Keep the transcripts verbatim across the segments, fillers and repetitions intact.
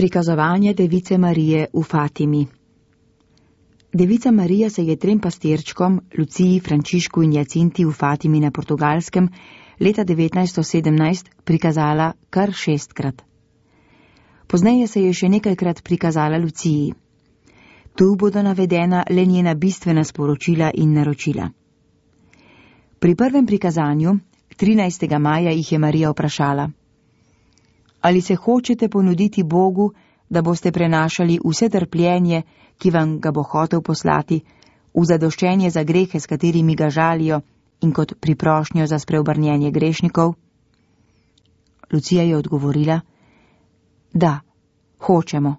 Prikazovanje Device Marije v Fatimi. Devica Marija se je trem pastirčkom, Luciji, Frančišku in Jacinti v Fatimi na Portugalskem, leta devetnajststo sedemnajst prikazala kar šestkrat. Pozneje se je še nekajkrat prikazala Luciji. Tu bodo navedena le njena bistvena sporočila in naročila. Pri prvem prikazanju, trinajstega maja, jih je Marija vprašala: Ali se hočete ponuditi Bogu, da boste prenašali vse trpljenje, ki vam ga bo hotel poslati, v zadoščenje za grehe, s katerimi ga žalijo, in kot priprošnjo za spreobrnjenje grešnikov? Lucija je odgovorila: Da, hočemo.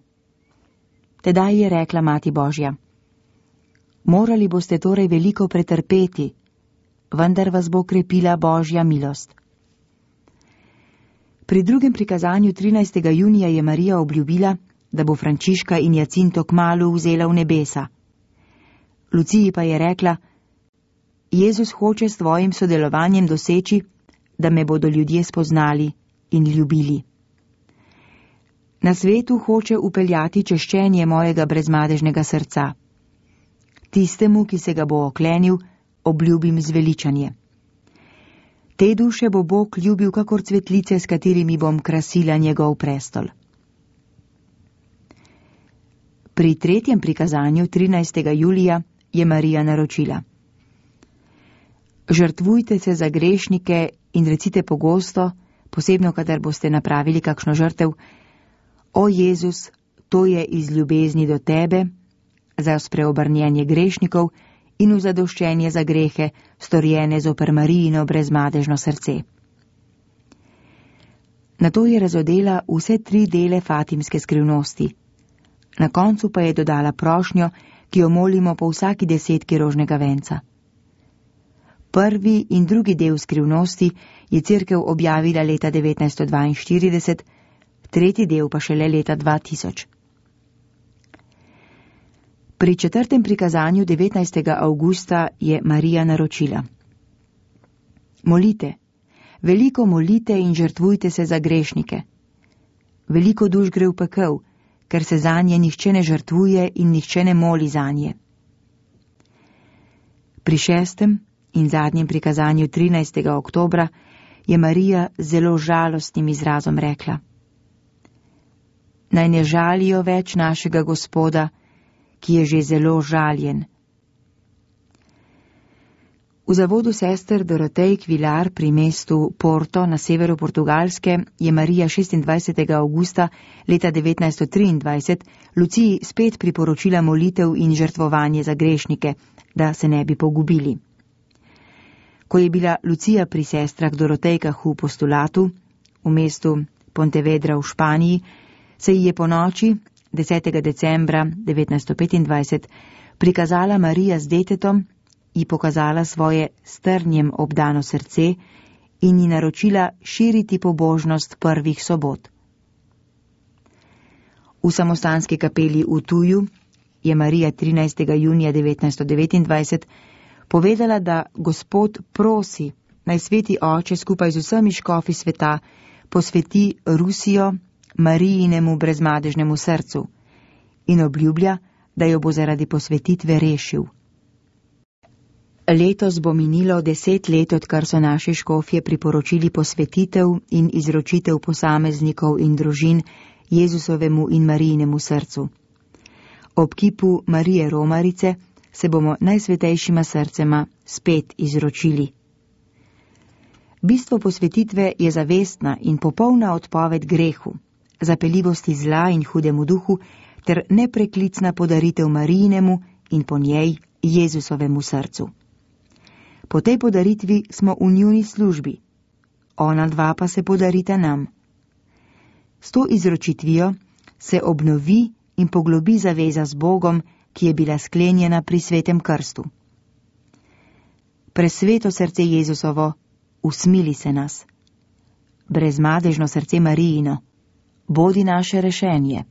Tedaj je rekla Mati Božja: Morali boste torej veliko pretrpeti, vendar vas bo krepila Božja milost. Pri drugem prikazanju trinajstega junija je Marija obljubila, da bo Frančiška in Jacinto kmalu vzela v nebesa. Luciji pa je rekla: Jezus hoče s tvojim sodelovanjem doseči, da me bodo ljudje spoznali in ljubili. Na svetu hoče upeljati češčenje mojega brezmadežnega srca. Tistemu, ki se ga bo oklenil, obljubim zveličanje. Te duše bo Bog ljubil kakor cvetlice, s katerimi bom krasila njegov prestol. Pri tretjem prikazanju trinajstega julija je Marija naročila: Žrtvujte se za grešnike in recite pogosto, posebno kadar boste napravili kakšno žrtev: O Jezus, to je iz ljubezni do tebe, za spreobrnjenje grešnikov in v zadoščenje za grehe, storjene zoper Marijino brezmadežno srce. Nato je razodela vse tri dele fatimske skrivnosti. Na koncu pa je dodala prošnjo, ki jo molimo po vsaki desetki rožnega venca. Prvi in drugi del skrivnosti je cerkev objavila leta devetnajststo dvainštirideset, tretji del pa šele leta dva tisoč. Pri četrtem prikazanju devetnajstega avgusta je Marija naročila: Molite, veliko molite in žrtvujte se za grešnike. Veliko duš gre v pekel, ker se zanje nihče ne žrtvuje in nihče ne moli zanje. Pri šestem in zadnjem prikazanju trinajstega oktobra je Marija z zelo žalostnim izrazom rekla: Naj ne žalijo več našega Gospoda, ki je že zelo žaljen. V zavodu sester Dorotej Kvilar pri mestu Porto na severu Portugalske je Marija šestindvajsetega avgusta leta devetnajststo triindvajset Luciji spet priporočila molitev in žrtvovanje za grešnike, da se ne bi pogubili. Ko je bila Lucija pri sestrah Dorotejkah v postulatu, v mestu Pontevedra v Španiji, se ji je po noči, desetega decembra devetnajststo petindvajset, prikazala Marija z detetom, ji pokazala svoje strnjem obdano srce in ji naročila širiti pobožnost prvih sobot. V samostanski kapeli v Tuju je Marija trinajstega junija devetnajststo devetindvajset povedala, da Gospod prosi, naj Sveti Oče skupaj z vsemi škofi sveta posveti Rusijo Marijinemu brezmadežnemu srcu in obljublja, da jo bo zaradi posvetitve rešil. Letos bo minilo deset let, odkar so naši škofje priporočili posvetitev in izročitev posameznikov in družin Jezusovemu in Marijinemu srcu. Ob kipu Marije Romarice se bomo najsvetejšima srcema spet izročili. Bistvo posvetitve je zavestna in popolna odpoved grehu, zapeljivosti zla in hudemu duhu ter nepreklicna podaritev Marijinemu in po njej Jezusovemu srcu. Po tej podaritvi smo v njuni službi, ona dva pa se podarita nam. S to izročitvijo se obnovi in poglobi zaveza z Bogom, ki je bila sklenjena pri svetem krstu. Presveto srce Jezusovo, usmili se nas. Brezmadežno srce Marijino, bodi naše rešenje.